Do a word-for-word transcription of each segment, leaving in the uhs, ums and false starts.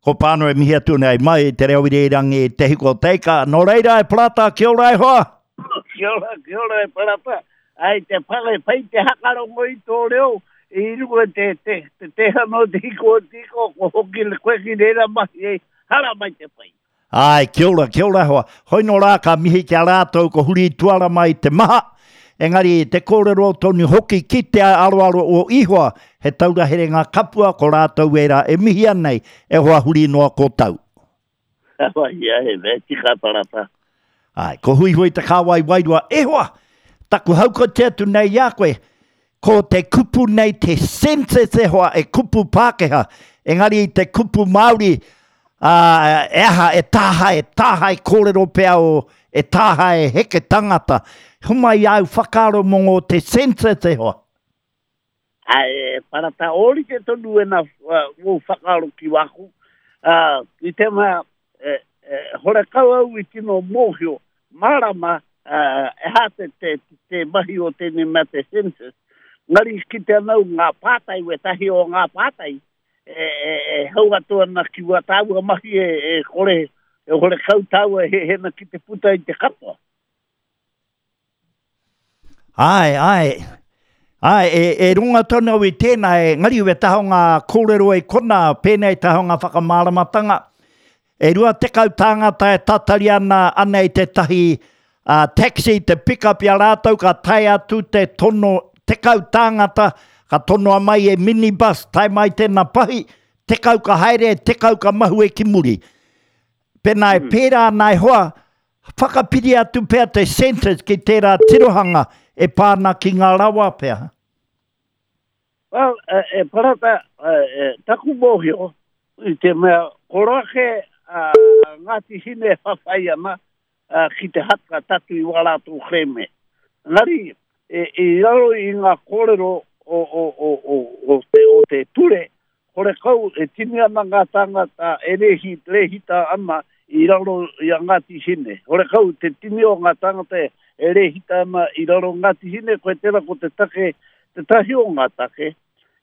Ko Pānora e mihi atu nei mai i te reo irirangi Te Hiko Teika. Nō reira e Parata, kia ora e hoa! Kia ora, kia ora e Parata. Ai te whare pai te hakarongo i tō reo i runga te, te, te tehana o Te Hiko o Te Ika, ko hoki le koe ki reira mahi ei, hara mai te pai. Ai, kia ora, kia ora hoa. Hoi nō rā ka mihi ki a rātou ko huri tuara mai te maha. Engari te kōrero tonu hoki ki te aroaro o Ihoa, he taura here ngā kapua ko rātou era e mihia nei, e hoa huri noa ko tau. Ia, he mea tika Parata. Ai, ko Huihui te kāwai wairua, e hoa, taku haukoti atu nei i a koe, ko te kupu nei te census e hoa, e kupu Pākehā, engari te kupu Māori, ā, e aha, e tāhae, tāhae kōrero pea o, e tāhae heke tangata. Homai au whakaaro mō ngō te census e hoa. Ai, e Parata, ōrite tonu ena wō whakaaro ki wāku. Uh, i te mea, e, e, horekau au i tino mōhio, mārama, uh, e hā te, te, te mahi o tēnei mea te census. Ngari ki te anau ngā pātai, wetahi o ngā pātai, e, e, e hau atu ana ki wā tāua mahi e, e kore, e horekau tāua he hena ki te puta i te katoa. Ai, ai. Ai, e, e runga tonu au i tēnā, e ngari we taha o ngā kōrero e kona, pēnei taha o ngā whakamāramatanga. E rua tekau tāngata e tatari ana anei tētahi uh, taxi te pick up i a rātou, ka tae atu te tono tekau tāngata, ka tonoa mai e minibus, tae mai tēnā pahi, tekau ka haere, tekau ka mahue ki muri. Pēnā e pērā ana e hoa, whakapiri atu pea te census ki tērā tirohanga e pā ana ki ngā rawa pea. Well, e, e Parata, e, e, taku mōhio, i te mea, ko rake a Ngāti Hine whawhai ana a, ki te haka tatu i wā rātou kerēme. Engari, e, i raro i ngā kōrero o, o, o, o, o, te, o te ture, horekau e tini ana ngā tāngata e rehi, rehita ana i raro i a Ngāti Hine. Horekau te tini o ngā tāngata e, e rehita ana i raro Ngāti Hine, koe tērā ko te take, te tahi o ngā take,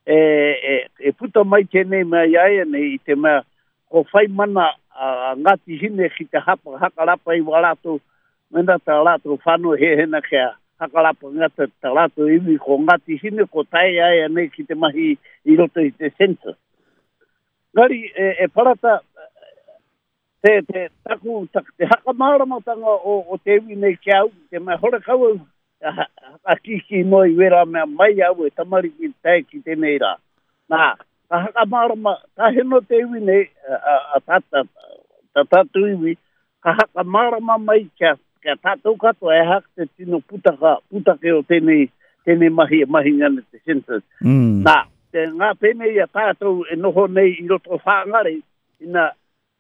e, e, e puta mai tēnei mea i a ia nei i te mea ko whai mana a Ngāti Hine ki te hapa, hakarapa i wā rātou, mena tā rātou whānau he hena kia hakarapa ngata tā rātou iwi ko Ngāti Hine ko tae ai nei ki te mahi i roto i te census. Ngari, e, e Parata, te, te, taku, tak, te hakamāramatanga o, o te iwi nei ki au, te mea horekau au, hakakiki noa i wera mea mai au e tamariki tae ki tēnei rā. Nā, ka hakamārama, ka heno te iwi nei, a, a, a, ta, ta, tātou iwi, ka hakamārama mai kia, kia tātou katoa e hak te tino putaka, putake o tēnei, tēnei mahi e mahi ngana te census. Mm. Nā, te ngā pēnei a tātou e noho nei i roto Whāngarei, ina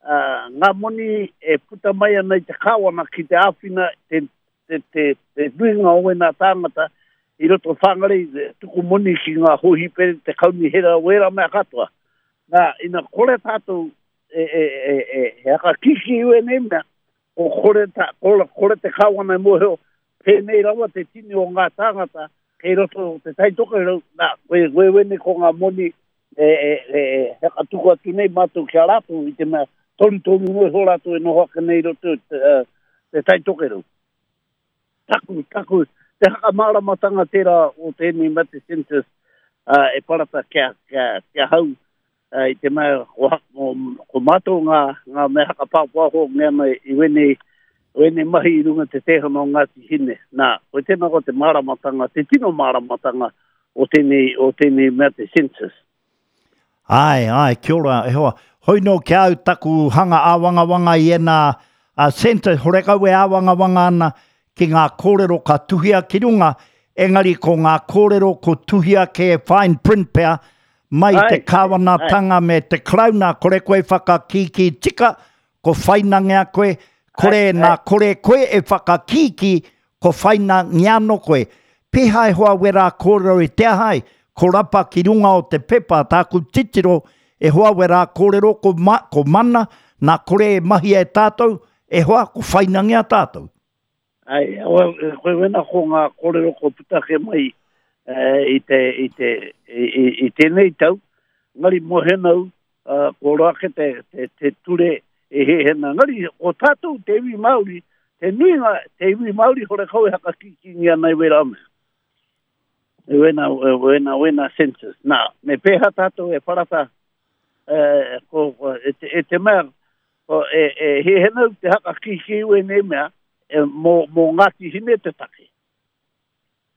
uh, ngā moni e puta mai ana i te kāwana ki te āwhina te, te, te, te nuinga o wēnā tāngata i roto Whāngarei, tuku moni ki ngā hōhipere, te kaunihera, wērā mea katoa. Nā, ina kore tātou e, e, e, e, he hakakiki i wēnei mea, ko kore, ta, kore, kore te kāwana e mōhio, pēnei rawa te tini o ngā tāngata, kei roto te Taitokerau, nā, koe, koe wene ko ngā moni e, e, e, e hakatuku atu nei mātou ki a rātou i te mea toru toru noa iho rātou e noho ake nei i roto te, uh, te Taitokerau. Taku, taku, te hakamāramatanga tērā o tēnei mea te census uh, e Parata kia, kia, kia hau uh, i te mea ko, ko, ko mātou ngā, ngā mea hakapāpāho ngā ana i wēnei, wēnei mahi i runga te tehana o Ngāti Hine. Nā, koe tēnā ko te māramatanga, te tino māramatanga o tēnei, o tēnei mea te census. Ai, ai, kia ora, e hoa. Hoi nō ki au taku hanga āwangawanga i ēnā a census, horekau e āwangawanga ana ki ngā kōrero ka tuhia ki runga, engari ko ngā kōrero ko tuhia ke fine print pea, mai Ai, te kāwanatanga me te Karauna, kore koe whakakīkī tika, ko whainangea koe, kore Ai, nā ai. kore koe e whakakīkī, ko whainangea no koe. Pēhā e hoa wera kōrero i te ahai, ko rapa ki runga o te pepa, tāku titiro, e hoa wera kōrero ko, ma, ko mana, nā kore e mahia e tātou, e hoa ko whainangea tātou. Ai, well, koe wena ko ngā kōrero ko putake mai eh, i, te, i, te, i, i, i tēnei tau, ngari mohenau, uh, ko roa ke te, te, te ture e he hena. Ngari, o tātou te iwi Māori, te nuinga te iwi Māori hore kau e hakakikingia nei wera mea. E wena, wena, wena census. Nā, me pēha tātou e parata, e, ko, ko, e, te, e te mea, ko, e, e he hena te hakakiki ue nei mea, e, mō, mō Ngāti Hine te take.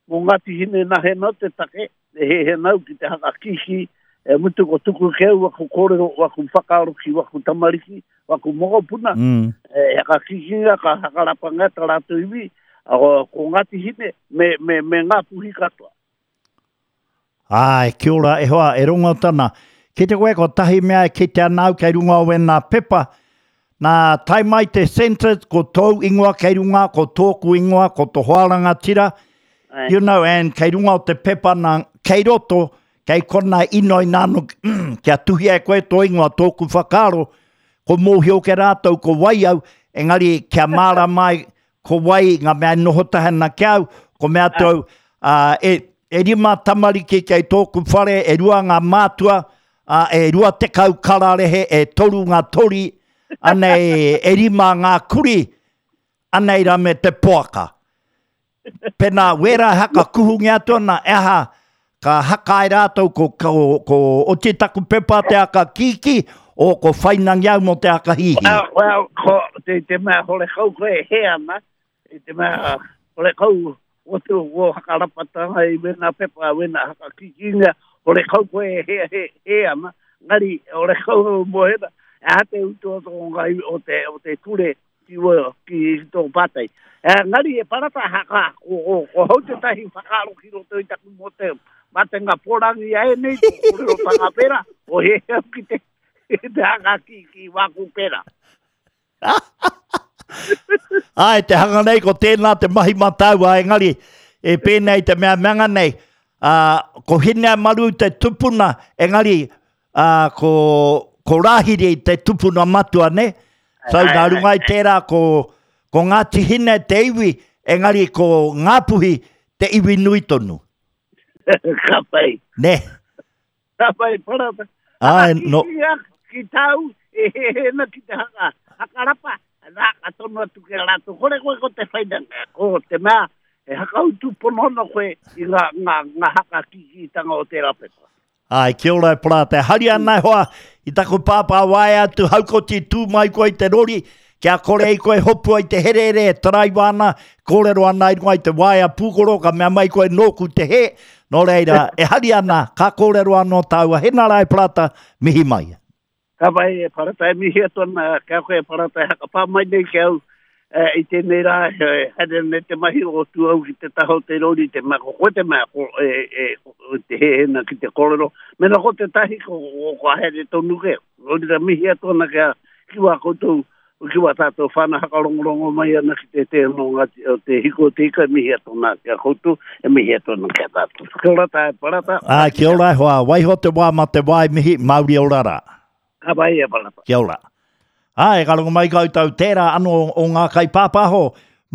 Mō Ngāti Hine nahe no te take, e he hena ki te hakakiki, e mutu ko tuku ke au waku kōrero, waku whakaaro ki waku tamariki, waku mokopuna, Mm. e hakakikinga ka hakarapanga ta rātou iwi, a, ko, ko Ngāti Hine me, me, me ngā puhi katoa. Ai, kia ora, e hoa, e rongo tana. Ki te koe ko tahi mea e kite ana au kei runga o wena pepa. Nā, tae mai te census, ko tōu ingoa kei runga, ko tōku ingoa, ko tō hoa rangatira. Ai. You know, and kei runga o te pepa nā, kei roto, kei kona inoi nāno, kia tuhi e koe tō ingoa tōku whakaaro, ko mōhio ke rātou, ko wai au, engari kia mārama ai, ko wai ngā mea e noho tahi ana ki au, ko mea tau, uh, e, e rima tamariki kei tōku whare, e rua ngā mātua, uh, e rua tekau kararehe, e toru ngā tori, anei e rima ngā kuri, anei rā me te poaka. Pena wera haka kuhungi atu ana, e aha, ka haka ai rātou ko, ko, ko oti taku pepa te aka kiki, o ko whainangi au mo te aka hihi. Well, well, ko, te, te mea hore kau koe e he ana, i te mea hore kau o te o hakarapatanga i wena pepa, wena hakakikinga, hore kau koe e he, he, he ana, ngari hore kau mo hena, e aha te utu o tō ngai o te, o te ture ki, o, ki tō pātai. E, ngari e parata haka, ko, ko, ko hau te tahi whakaaro ki roto i taku mo te matenga pōrangi ai nei, tō kōrero tanga pera, o he au ki te, te haka ki, ki wāku pera. Ai, te hanga nei, ko tēnā te mahi mātaua, engari, e pēnei te mea meanga nei, uh, ko Hineamaru te tupuna, engari, uh, ko, ko Rāhiri te tupuna matua, ne? So, Ai, nā ai, runga i tērā, ko, ko Ngāti Hine te iwi, engari ko Ngāpuhi te iwi nui tonu. Ka pai. Ne? Ka pai, parata. Ai, Haka no. ki, ki, ki tāu, e he he na ki te haka, hakarapa, nā ka tono atu ki a rātou. Kore koe ko te whainanga, ko te mea, e hakautu pono ana koe i ngā, ngā, ngā hakakikitanga o tērā pepa. Ai, kia ora e parata. Hari ana e hoa, i taku pāpā waea atu haukoti tū mai koe i te rori, kia kore i koe hopua i te herere e taraiwa ana, kōrero ana i runga i te waea pūkoro, ka mea mai koe nōku te he. Nō reira, e hari ana, ka kōrero anō tāua. Hena rā e parata, mihi mai. Ka pai e parata e mihi atu ana, kia koe e parata e hakapā mai nei ki au, e, i tēnei rā, e, haere nei te mahi o tu au ki te taha o te rori, te mea, ko koe te mea, ko, e, e, ko te hehena ki te kōrero. Mena ko te tahi, ko, ko, ko haere tonu ke. Rori rā mihi atu ana kia, ki wā koutou, ki wā tātou whana hakarongorongo mai ana ki te te no ngāti, o te hiko o te ika, mihi atu ana kia koutou, e mihi atu ana kia tātou. Kia ora tā e parata. Ai, kia ora e hoa, waiho te wā ma te wā e mihi, mauri ora rā. Ka pai e parata. Kia ora. Ai, ka rongo mai koutou tērā anō o ngā kaipāpāho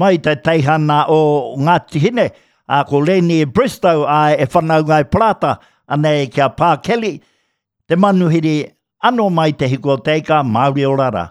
mai te teihana o Ngāti Hine, a ko Leni Bristow ai e whanaunga e Parata, anei kia Pā Kelly, te manuhiri anō mai te hiko o te ika, mauri ora rā.